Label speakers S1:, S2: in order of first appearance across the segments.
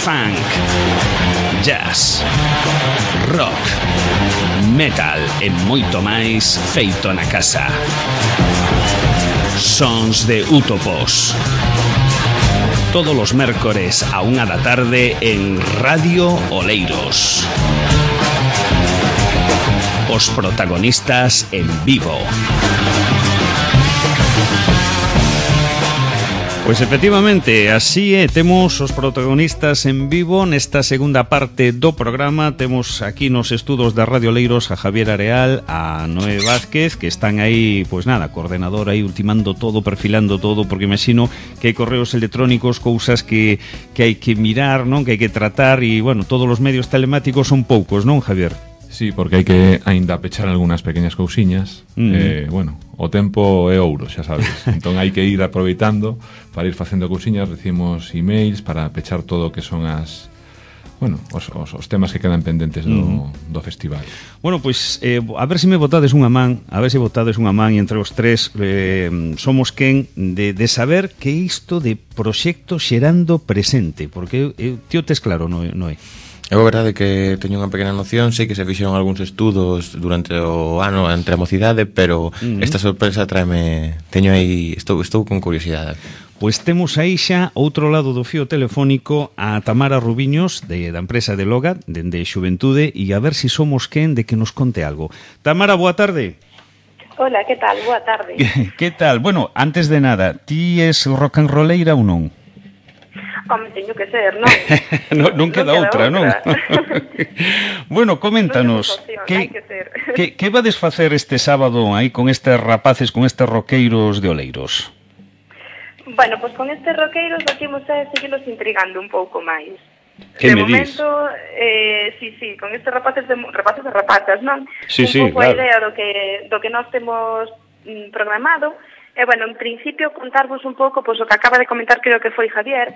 S1: funk, jazz, rock, metal e moito máis feito na casa. Sons de Utopos. Todos os mércores a 1 da tarde en Radio Oleiros. Os protagonistas en vivo. Pois efectivamente, así é, temos os protagonistas en vivo nesta segunda parte do programa. Temos aquí nos estudos da Radio Oleiros a Javier Areal, a Noé Vázquez, que están aí, pois nada, coordenador aí ultimando todo, perfilando todo, porque imagino que hai correos electrónicos, cousas que hai que mirar, non, que hai que tratar, e, bueno, todos os medios telemáticos son poucos, non, Javier?
S2: Sí, porque hai que aínda pechar algunhas pequeñas cousiñas. Bueno, o tempo é ouro, xa sabes. Entón hai que ir aproveitando para ir facendo cousiñas. Recibimos emails para pechar todo o que son as... Bueno, os temas que quedan pendentes do festival.
S1: Bueno, pois, a ver se me botades unha man, e entre os tres somos quen de saber que isto de proxecto xerando presente, porque tío tes claro, non é?
S3: É verdade que teño unha pequena noción, sei que se fixeron algúns estudos durante o ano entre a mocidade, pero esta sorpresa tráeme, teño aí, estou con curiosidade.
S1: Pois temos aí xa outro lado do fío telefónico a Tamara Rubiños da empresa de Loga, dende Xuventude, e a ver se somos quen de que nos conte algo. Tamara, boa tarde.
S4: Hola, que tal? Boa tarde.
S1: Que tal? Bueno, antes de nada, ti es rock and rolleira ou non?
S4: Home, teño que ser, non?
S1: non queda outra, non? Bueno, coméntanos, que vades facer este sábado aí con estes rapaces, con estes roqueiros de Oleiros?
S4: Bueno, pois con estes roqueiros aquí imos a seguirlos intrigando un pouco máis.
S1: Que me
S4: momento, sí, con estes rapaces e rapazas, non?
S1: Sí,
S4: un pouco
S1: claro.
S4: A idea do que nós temos programado. E, bueno, en principio, contarvos un pouco, pois, o que acaba de comentar, creo que foi Javier,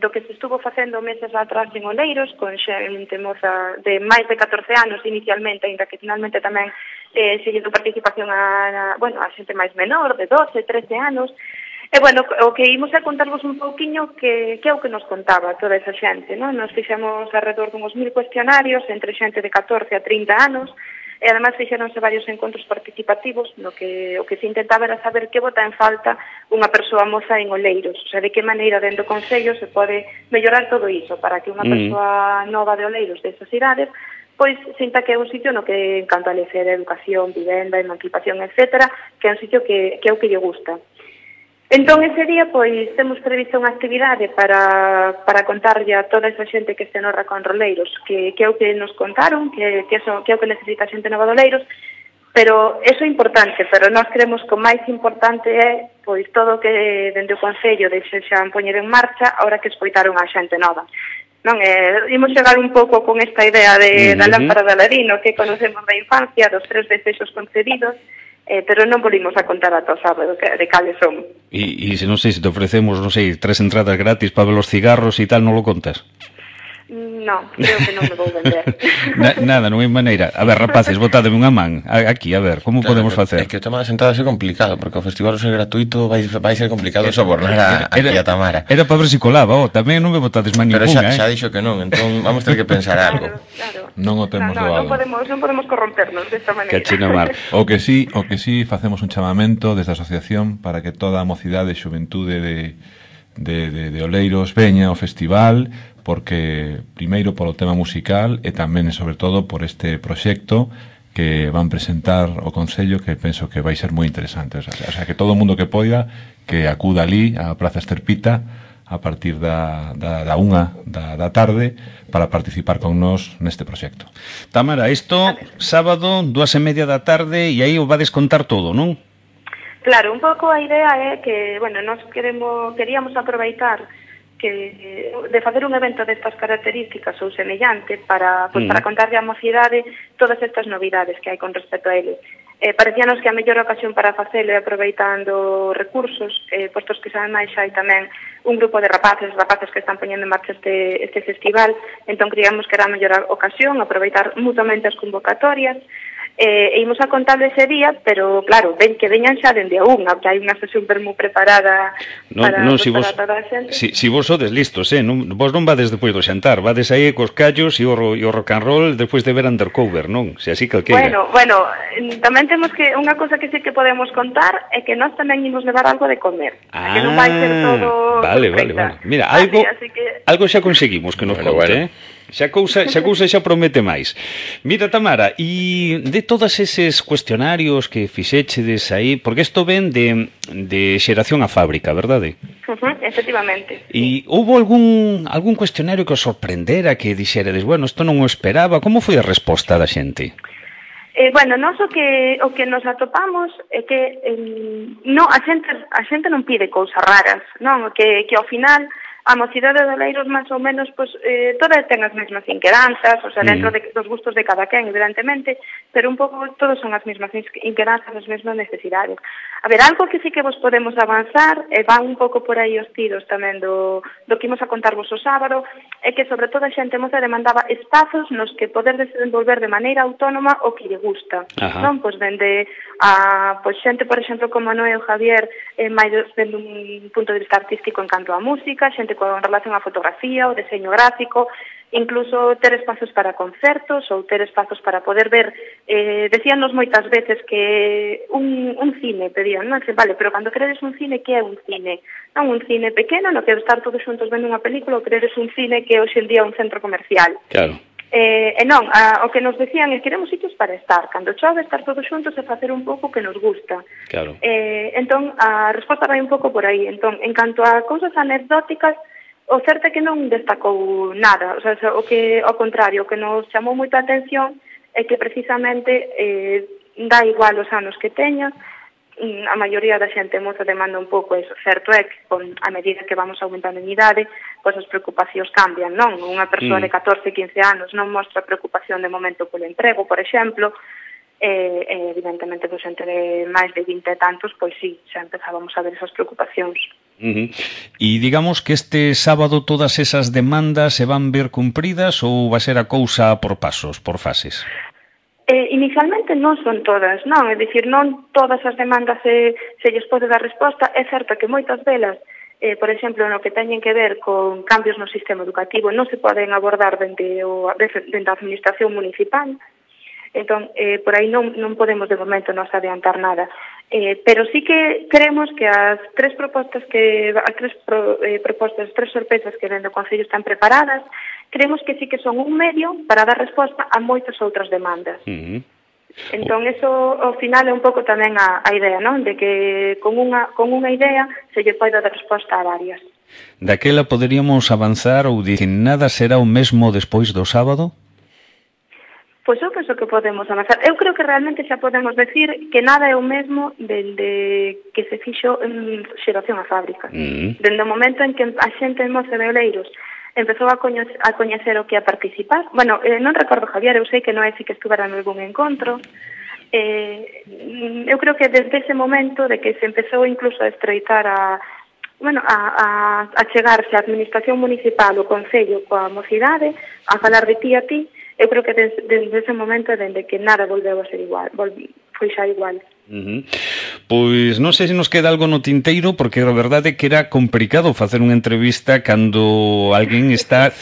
S4: do que se estuvo facendo meses atrás en Oleiros, con xente moza de máis de 14 anos inicialmente, ainda que finalmente tamén se lle dou participación a xente máis menor, de 12, 13 anos. E, bueno, o que imos a contarvos un pouquiño que é o que nos contaba toda esa xente, non? Nos fixemos alrededor dunhos 1000 cuestionarios entre xente de 14 a 30 anos, e además fixeronse varios encontros participativos no que o que se intentaba era saber que bota en falta unha persoa moza en Oleiros, o sea, de que maneira dentro do Concello se pode mellorar todo iso para que unha persoa nova de Oleiros desas idades pois sinta que é un sitio no que en canto a lecer, educación, vivenda, emancipación, etcétera, que é un sitio que é o que lle gusta. Entón, ese día, pois, temos previsto unha actividade para contarlle a toda esa xente que este no Rock and Rolleiros, que é o que nos contaron, que é o que necesita a xente nova de Oleiros, pero eso é importante, pero nós creemos que o máis importante é, pois, todo o que dende o Concello desexan poñer en marcha, ahora que escoitaron a xente nova. Non, imos chegar un pouco con esta idea da lámpara de Aladino, que conocemos da infancia, dos 3 desexos concedidos, pero non volvimos a contar ata o sábado de cales son.
S1: E se non sei, se te ofrecemos, non sei, 3 entradas gratis para ver os cigarros e tal, non lo contas?
S4: Non, creo que non me vou vender.
S1: Nada, non hai maneira. A ver, rapaces, botádeme unha man aquí, a ver, como podemos facer?
S3: É que o tema das entradas é complicado, porque o festival ser gratuito vai ser complicado sobornar aquí a Tamara.
S1: Era para ver se colaba, tamén non me botades man
S3: ninguna.
S1: Pero
S3: xa dixo que non, entón vamos ter que pensar algo.
S4: Claro.
S2: Non o temos doado.
S4: Non podemos corrompernos desta maneira.
S1: Que china mar.
S2: O que sí, facemos un chamamento desde a asociación para que toda a mocidade e xuventude de Oleiros veña ao festival, porque primeiro polo tema musical e tamén e sobre todo por este proxecto que van presentar o Concello, que penso que vai ser moi interesante. O sea, que todo o mundo que poida que acuda ali á Praza Esterpita a partir da 1 da tarde para participar con nós neste proxecto.
S1: Tamara, isto sábado 2:30 da tarde e aí o vades contar todo, non?
S4: Claro, un pouco a idea é que, bueno, nós queríamos aproveitar de facer un evento destas características ou semellante para contarlle á mocidade todas estas novidades que hai con respecto a ele. Parecíanos que a mellor ocasión para facelo é aproveitando recursos, postos que ademais hai tamén un grupo de rapaces que están poñendo en marcha este festival, entón creíamos que era a mellor ocasión aproveitar mutuamente as convocatorias E imos a contarlo ese día, pero claro, ven que veñan xa dende a unha, que hai unha sesión moi preparada para toda a xente.
S1: Si vos sodes listos, vos non vades despois do xantar, vades aí cos callos e o rock and roll despois de ver Undercover, non? Se así calqueira.
S4: Bueno, tamén temos que unha cosa que sí que podemos contar é que nós tamén imos levar algo de comer, que non vai ser todo
S1: vale. Mira, algo xa conseguimos que nos conte, Xa cousa xa promete máis. Mira, Tamara, e de todos eses cuestionarios que fixéchedes aí, porque isto ven de xeración a fábrica, verdade?
S4: Efectivamente.
S1: E houve algún cuestionario que os sorprendera, que dixeredes, bueno, isto non o esperaba, como foi a resposta da xente?
S4: Bueno, nós o que nos atopamos é que a xente non pide cousas raras, non? Que ao final a mocidade de Oleiros máis ou menos todas ten as mesmas inquedanzas, o sea, dentro dos gustos de cada quen, evidentemente, pero un pouco todos son as mesmas inquedanzas, as mesmas necesidades. A ver, algo que sí que vos podemos avanzar, e van un pouco por aí os tiros tamén do que imos a contarvos o sábado, é que sobre todo a xente moza demandaba espazos nos que poder desenvolver de maneira autónoma o que lle gusta. Non? Pois dende a xente, por exemplo, como Noé ou Javier, máis dende un punto de vista artístico en canto a música, xente con relación á fotografía, o deseño gráfico, incluso ter espazos para concertos ou ter espazos para poder ver, decíanos moitas veces que un cine, pedían, non? Vale, pero cando queredes un cine, que é un cine? Non un cine pequeno, no que estar todos xuntos vendo unha película, ou queredes un cine que hoxe en día é un centro comercial.
S1: Claro.
S4: E non, o que nos decían é que queremos sitios para estar, cando chove, estar todos xuntos e facer un pouco que nos gusta.
S1: Claro.
S4: Entón, a resposta vai un pouco por aí. Entón, en canto a cousas anecdóticas, o certo é que non destacou nada, o sea, ao contrario, o que nos chamou moita atención é que precisamente dá igual os anos que teña, a maioría da xente moza demanda un pouco eso. Certo é que a medida que vamos aumentando en idade, pois as preocupacións cambian, non? Unha persoa de 14, 15 anos non mostra preocupación de momento polo emprego, por exemplo, evidentemente, pois entre máis de 20 e tantos, pois sí, xa empezábamos a ver esas preocupacións.
S1: E digamos que este sábado todas esas demandas se van ver cumpridas ou vai ser a cousa por pasos, por fases?
S4: Inicialmente non son todas, non? É dicir, non todas as demandas se lles pode dar resposta. É certo que moitas delas, por exemplo, no que teñen que ver con cambios no sistema educativo, non se poden abordar dende a administración municipal. Entón, por aí non podemos de momento nos adiantar nada. Pero sí que creemos que as tres sorpresas que dentro do Concello están preparadas, creemos que sí que son un medio para dar resposta a moitas outras demandas. Entón, eso ao final é un pouco tamén a idea, non? De que con unha idea se lle pode dar resposta a varias.
S1: Daquela poderíamos avanzar ou dicir nada será o mesmo despois do sábado?
S4: Pois eu penso que podemos avanzar. Eu creo que realmente xa podemos decir que nada é o mesmo dende que se fixo en xeración a fábrica. Dende o momento en que a xente en moza de Oleiros empezou a coñecer o que a participar. Bueno, non recordo, Javier, eu sei que non é si que estuvera en algún encontro. Eu creo que desde ese momento de que se empezou incluso a estreitar a chegarse a administración municipal, o Concello, coa mocidade, a falar de ti a ti, eu creo que desde ese momento, dende que nada volveu a ser igual, foi xa igual.
S1: Pois non sei se nos queda algo no tinteiro, porque a verdade é que era complicado facer unha entrevista cando alguén está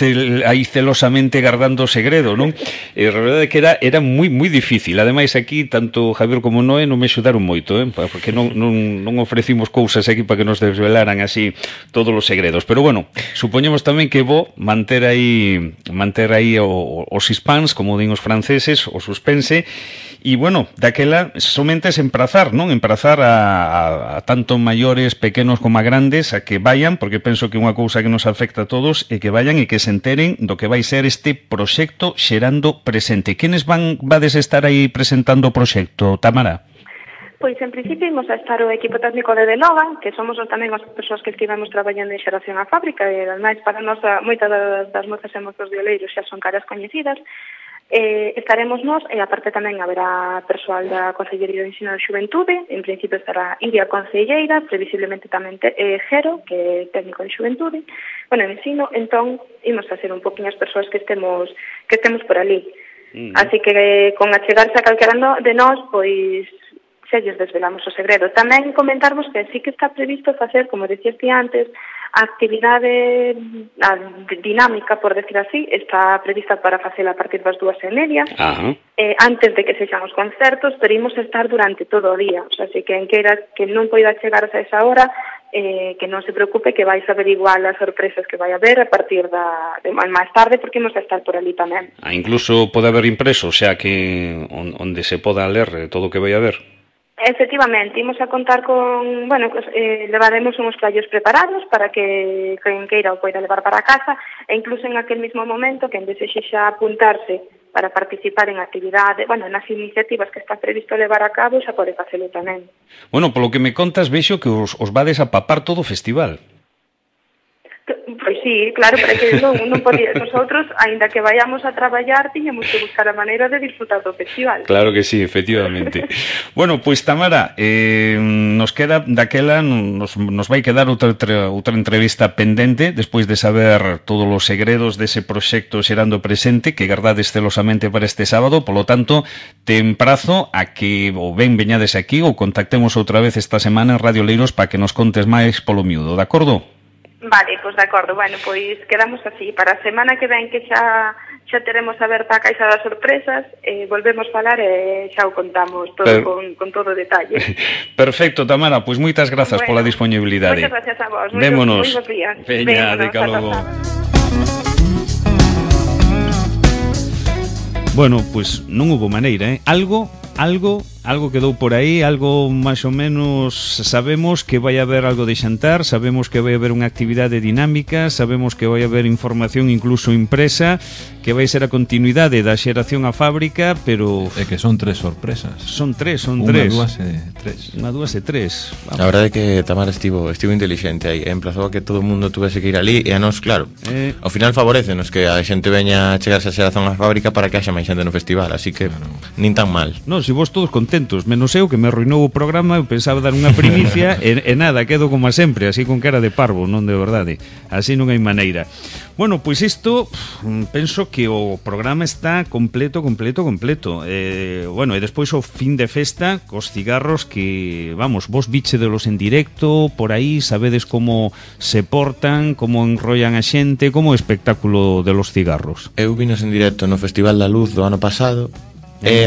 S1: aí celosamente guardando o segredo, non? E a verdade é que era moi difícil. Ademais, aquí, tanto Javier como Noé non me axudaron moito, porque non ofrecimos cousas aquí para que nos desvelaran así todos os segredos. Pero bueno, supoñemos tamén que vou manter aí os suspens, como din os franceses, o suspense. E, bueno, daquela somente es emprazar, non? Emprazar a tanto maiores, pequenos como a grandes a que vayan, porque penso que unha cousa que nos afecta a todos é que vayan e que se enteren do que vai ser este proxecto Xerando Presente. Quenes vades estar aí presentando o proxecto, Tamara?
S4: Pois, en principio, imos a estar o equipo técnico de Denoga, que somos tamén as persoas que estivemos traballando en xeración a fábrica, e, ademais, para nós, moitas das mozas e mozos de Oleiros xa son caras coñecidas. Estaremos nós, e aparte tamén haberá persoal da Consellería de Ensino e Xuventude. En principio estará Iria Concelleira, previsiblemente tamén Jero, que é técnico de Xuventude, en ensino. Entón, imos a ser un poquinho as persoas que estemos por ali. Así que con achegarse a calquera de nós, pois se lles desvelamos o segredo. Tamén comentarvos que sí que está previsto facer, como decías ti antes, a actividade dinámica, por decir así, está prevista para facela a partir das 2:30, antes de que sexan os concertos, pero imos estar durante todo o día, o sea, así que en queira que non poida chegarse a esa hora, que non se preocupe, que vais a ver igual as sorpresas que vai haber a partir de máis tarde, porque imos a estar por ali tamén.
S1: Incluso pode haber impreso, o sea, que onde se poda ler todo o que vai a haber.
S4: Efectivamente, imos a contar con, levaremos uns flyers preparados para que quen queira o poida levar para casa, e incluso en aquel mismo momento, quen desexe xa apuntarse para participar en actividade, nas iniciativas que está previsto levar a cabo, xa pode facelo tamén.
S1: Bueno, polo que me contas, vexo que os vades a papar todo o festival.
S4: Pois sí, claro, pero que non podía. Nosotros, aínda que vayamos a traballar, tiñamos que buscar a maneira de disfrutar do festival.
S1: Claro que sí, efectivamente. Bueno, pois Tamara, nos queda daquela, nos vai quedar outra entrevista pendente, despois de saber todos os segredos dese proxecto Xerando Presente, que gardades celosamente para este sábado, polo tanto, te emprazo a que ou veñades aquí ou contactemos outra vez esta semana en Radio Leiros para que nos contes máis polo miúdo, de acordo?
S4: Vale, pois de acordo. Bueno, pois quedamos así. Para a semana que ven que xa teremos aberta a caixa das sorpresas, volvemos falar e xa o contamos todo con todo o detalle.
S1: Perfecto, Tamara, pois moitas grazas pola disponibilidade.
S4: Moitas gracias a vos.
S1: Vémonos.
S4: Moi bons días.
S1: Veña, de logo. Bueno, pois non hubo maneira, Algo quedou por aí, algo máis ou menos. Sabemos que vai haber algo de xantar, sabemos que vai haber unha actividade dinámica, sabemos que vai haber información incluso impresa, que vai ser a continuidade da xeración á fábrica, pero...
S2: É que son 3 sorpresas.
S1: Son tres.
S2: Unha, dúas e tres.
S3: A verdade é que Tamara estivo intelixente aí, emplazou a que todo o mundo tuvese que ir ali, e a nós, claro, ao final favorecenos que a xente veña a chegarse a xeración á fábrica para que haxa máis xente no festival, así que nin tan mal.
S1: Non, se vos todos contentos, menos eu que me arruinou o programa, eu pensaba dar unha primicia e nada, quedo como a sempre, así con cara de parvo, non de verdade, así non hai maneira. Bueno, pois isto, penso que o programa está completo. E despois o fin de festa cos cigarros que, vos víchedelos en directo, por aí, sabedes como se portan, como enrollan a xente, como o espectáculo de los cigarros.
S3: Eu vinos en directo no Festival da Luz do ano pasado, e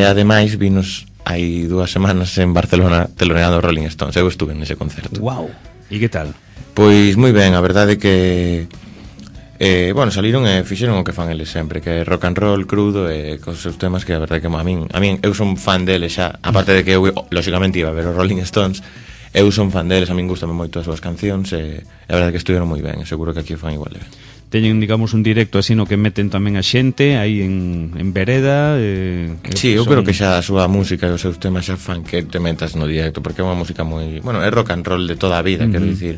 S3: ademais vinos hai 2 semanas en Barcelona teloneando Rolling Stones. Eu estuve nese concerto.
S1: Wow. E que tal?
S3: Pois moi ben, a verdade que saliron e fixeron o que fan eles sempre, que é rock and roll crudo e cos seus temas que a verdade que a min eu son fan deles xa, aparte de que eu lógicamente iba a ver os Rolling Stones, eu son fan deles, a min gustame moito as súas cancións e a verdade que estuveron moi ben, seguro que aquí o fan igual de ben.
S1: Teñen, digamos, un directo así no que meten tamén a xente aí en vereda.
S3: Sí, eu creo que xa a súa música e os seus temas xa fan que te metas no directo, porque é unha música moi... é rock and roll de toda a vida, quero dicir.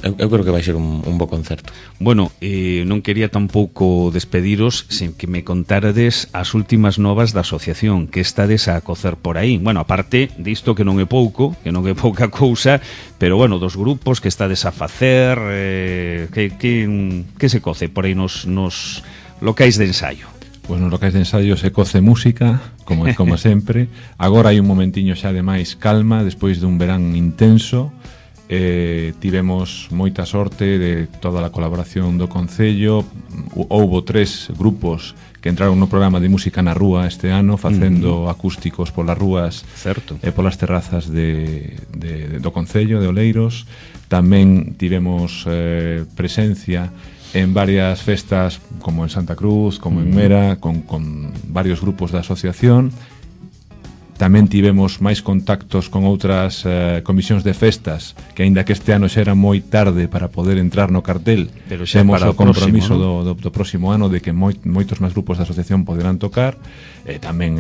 S3: Eu creo que vai ser un bo concerto.
S1: Bueno, non quería tampouco despediros sen que me contarades as últimas novas da asociación que estades a cocer por aí. Bueno, aparte disto que non é pouco, que non é pouca cousa, pero dos grupos que estades a facer, que se coce por aí nos locais de ensaio.
S2: Pois nos locais de ensaio se coce música, como sempre. Agora hai un momentiño xa de máis calma, despois dun verán intenso. Tivemos moita sorte de toda a colaboración do Concello. Houbo 3 grupos que entraron no programa de música na rúa este ano, facendo acústicos polas rúas e polas terrazas do Concello de Oleiros. Tamén tivemos presencia en varias festas, como en Santa Cruz, como en Mera, con varios grupos da asociación. Tamén tivemos máis contactos con outras comisións de festas, que aínda que este ano xa era moi tarde para poder entrar no cartel,
S1: pero xa
S2: temos
S1: o
S2: compromiso do próximo ano de que moitos máis grupos da asociación poderán tocar, tamén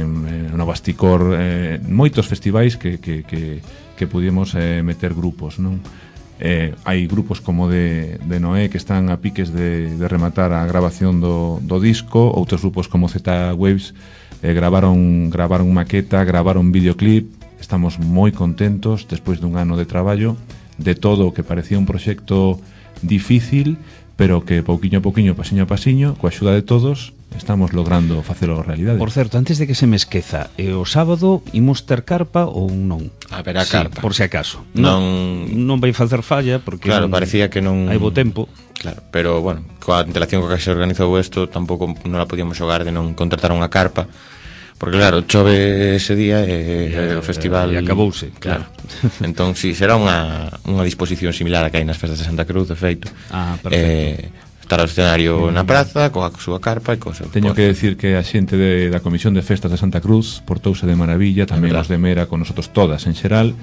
S2: no Basticor, moitos festivais que pudimos meter grupos, non? Hai grupos como de Noé que están a piques de rematar a grabación do disco, outros grupos como Z Waves gravaron maqueta, gravaron videoclip. Estamos moi contentos despois dun ano de traballo, de todo o que parecía un proxecto difícil, pero que pouquiño a pouquiño, pasiño a pasiño, coa axuda de todos, estamos logrando facelo realidade.
S1: Por certo, antes de que se me esqueza, o sábado imos ter carpa ou non?
S3: Haberá
S1: Sí,
S3: carpa.
S1: por si acaso.
S3: Non
S1: vai facer falla porque
S3: Claro, parecía que non
S1: hai bo tempo.
S3: Claro, pero bueno, coa antelación coa que se organizou isto tampouco non la podíamos xogar de non contratar unha carpa. Porque claro, chove ese día e o festival
S1: e acabouse,
S3: claro. Entón, si, será unha disposición similar a que hai nas festas de Santa Cruz, de feito.
S1: Perfecto.
S3: Estar ao escenario na praza, coa súa carpa e cosa.
S2: Teño que decir que a xente da Comisión de Festas de Santa Cruz portouse de maravilla, tamén os de Mera con nosotros todas en xeral,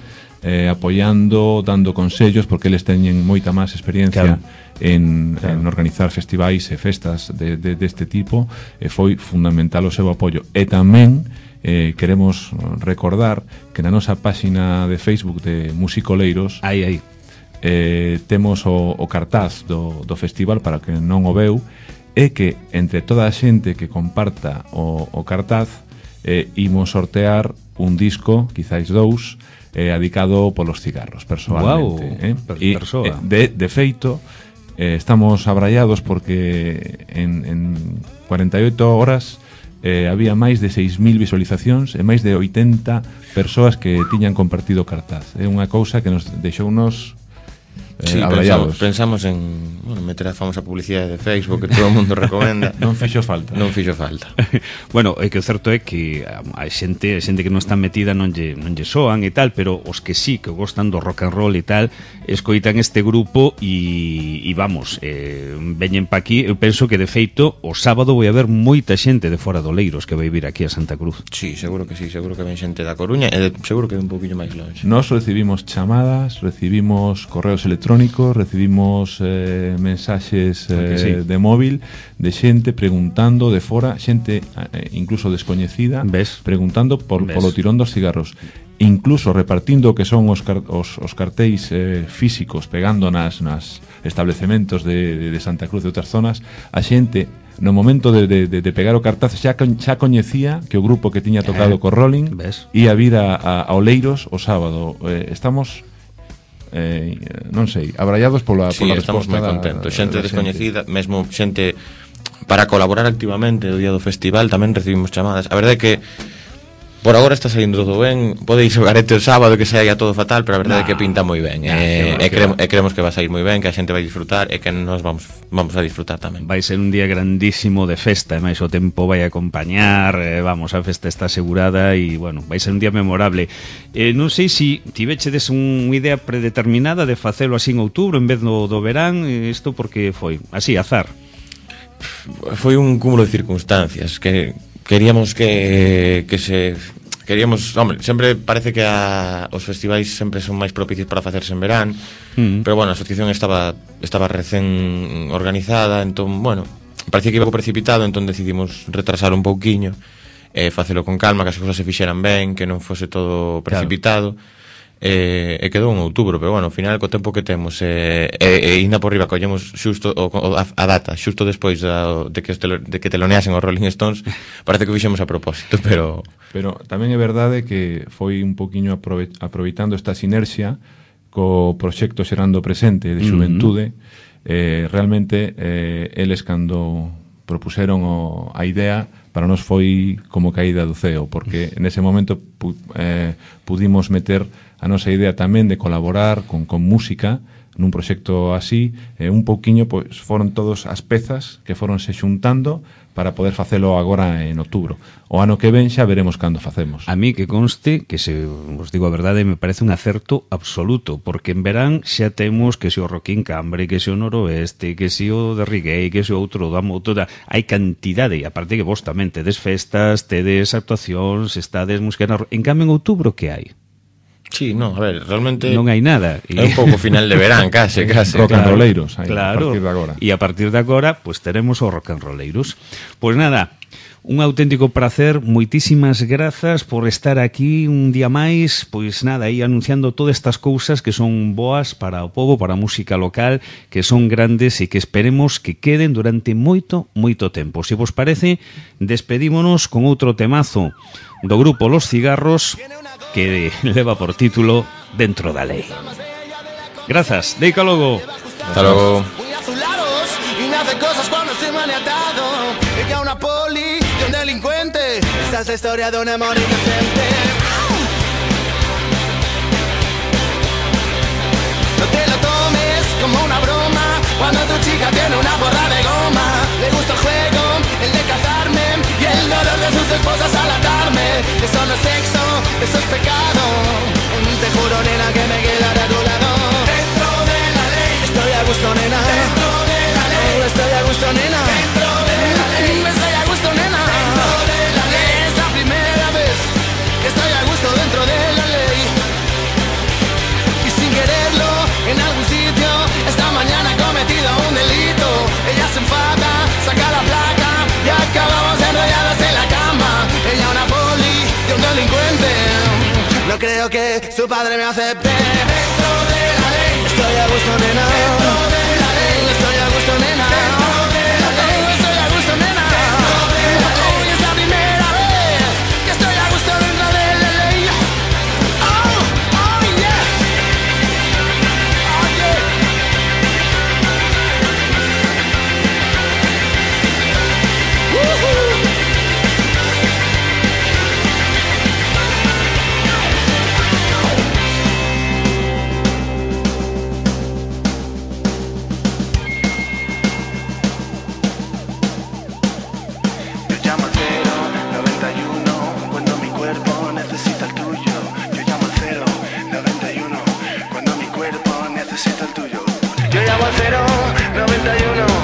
S2: apoiando, dando consellos, porque eles teñen moita máis experiencia en organizar festivais e festas deste tipo, e foi fundamental o seu apoio. E tamén queremos recordar que na nosa páxina de Facebook de Musicoleiros temos o cartaz do festival para que non o veu, e que entre toda a xente que comparta o cartaz imos sortear un disco, quizáis dous, adicado polos cigarros, personalmente. De feito, estamos abrallados porque en 48 horas había máis de 6.000 visualizacións e máis de 80 persoas que tiñan compartido o cartaz. É unha cousa que nos deixounos abrallados.
S3: Pensamos en meter a famosa publicidade de Facebook que todo o mundo recomenda.
S2: Non fixo falta.
S1: Bueno, é que o certo é que a xente que non está metida non lle soan e tal, pero os que sí, que gostan do rock and roll e tal, escoitan este grupo e vamos, veñen pa aquí. Eu penso que de feito o sábado vai haber moita xente de fora do Leiros que vai vir aquí a Santa Cruz.
S3: Sí, seguro que ven xente da Coruña e seguro que é un poquinho máis longe.
S2: Nos recibimos chamadas, recibimos correos electrónicos, recibimos mensaxes de móvil de xente preguntando de fora, xente incluso descoñecida, preguntando polo tirón dos cigarros, incluso repartindo que son os cartéis físicos, pegando nas establecementos de Santa Cruz e outras zonas. A xente no momento de pegar o cartaz xa coñecía que o grupo que tiña tocado co Rolling ia vir a Oleiros o sábado. Estamos non sei, abrallados pola resposta.
S3: Estamos moi contentos. Xente descoñecida, mesmo xente para colaborar activamente o día do festival, tamén recibimos chamadas. A verdade é que por agora está saindo todo ben. Podeis xogar o sábado que saia todo fatal, pero a verdade é que pinta moi ben. Creemos que va a sair moi ben, que a xente vai disfrutar e que nos vamos a disfrutar tamén.
S1: Vai ser un día grandísimo de festa, e máis o tempo vai acompañar, vamos, a festa está asegurada e, bueno, vai ser un día memorable. Non sei se tivechedes unha idea predeterminada de facelo así en outubro en vez do verán, isto porque foi así, azar.
S3: Foi un cúmulo de circunstancias que queríamos hombre, sempre parece que os festivais sempre son máis propicios para facerse en verán, pero bueno, a asociación estaba recén organizada, entón, bueno, parecía que iba precipitado, entón decidimos retrasar un pouquiño e facelo con calma, que as cousas se fixeran ben, que non fose todo precipitado. E quedou en outubro, pero bueno, ao final co tempo que temos ainda por riba collemos xusto a data, xusto despois de que teloneasen os Rolling Stones. Parece que o fixemos a propósito, pero
S2: tamén é verdade que foi un poquinho aproveitando esta sinerxia co proxecto Xerando Presente de Xuventude. Realmente eles cando propuseron a idea, para nós foi como caída do ceo, porque nese momento pudimos meter a nosa idea tamén de colaborar con música nun proxecto así, un pouquiño, pois foron todas as pezas que foronse xuntando para poder facelo agora en outubro. O ano que ven xa veremos cando facemos.
S1: A mí que conste, que se os digo a verdade, me parece un acerto absoluto, porque en verán xa temos que se o Rock in Cambre, que se o Noroeste, que se o de Riguei, que se o outro da Motoda, hai cantidade, e aparte que vos tamén tedes festas, tedes actuacións, estades música. En cambio en outubro que hai?
S3: Sí, no, a ver, realmente
S1: non hai nada.
S3: É un pouco final de verán, case.
S2: Rock and rolleiros,
S1: claro, a partir de agora. E a partir de agora, pues teremos os rock and rolleiros. Pues nada, un auténtico placer, moitísimas grazas por estar aquí un día máis, pois nada, aí anunciando todas estas cousas que son boas para o povo, para a música local, que son grandes e que esperemos que queden durante moito tempo. Se vos parece, despedímonos con outro temazo do grupo Los Cigarros, que leva por título Dentro da Lei. Grazas, deica logo.
S3: Hasta logo.
S5: cosas cuando estoy maniatado. Ella una poli de un delincuente. Esta es la historia de un amor inocente. No te lo tomes como una broma. Cuando tu chica tiene una borra de goma. Le gusta el juego, el de cazarme, y el dolor de sus esposas al atarme. Eso no es sexo, eso es pecado. Te juro, nena, que me quedaré a tu lado. Dentro de la ley estoy a gusto, nena. Dentro de la ley estoy a gusto, nena. Dentro de la ley estoy a gusto, nena. Dentro de la ley es la primera vez que estoy a gusto dentro de la ley. Y sin quererlo, en algún sitio esta mañana he cometido un delito. Ella se enfada, saca la placa y acabamos enrollados en la cama. Ella una poli y un delincuente. No creo que su padre me acepte. Dentro de la ley estoy a gusto, nena. Dentro de la ley estoy a gusto, nena. Dentro de la ley estoy a gusto, nena. Dentro de la ley es la primera vez que estoy a gusto dentro de la ley. Oh, oh yeah. Oh yeah. Woohoo. Yo llamo al 091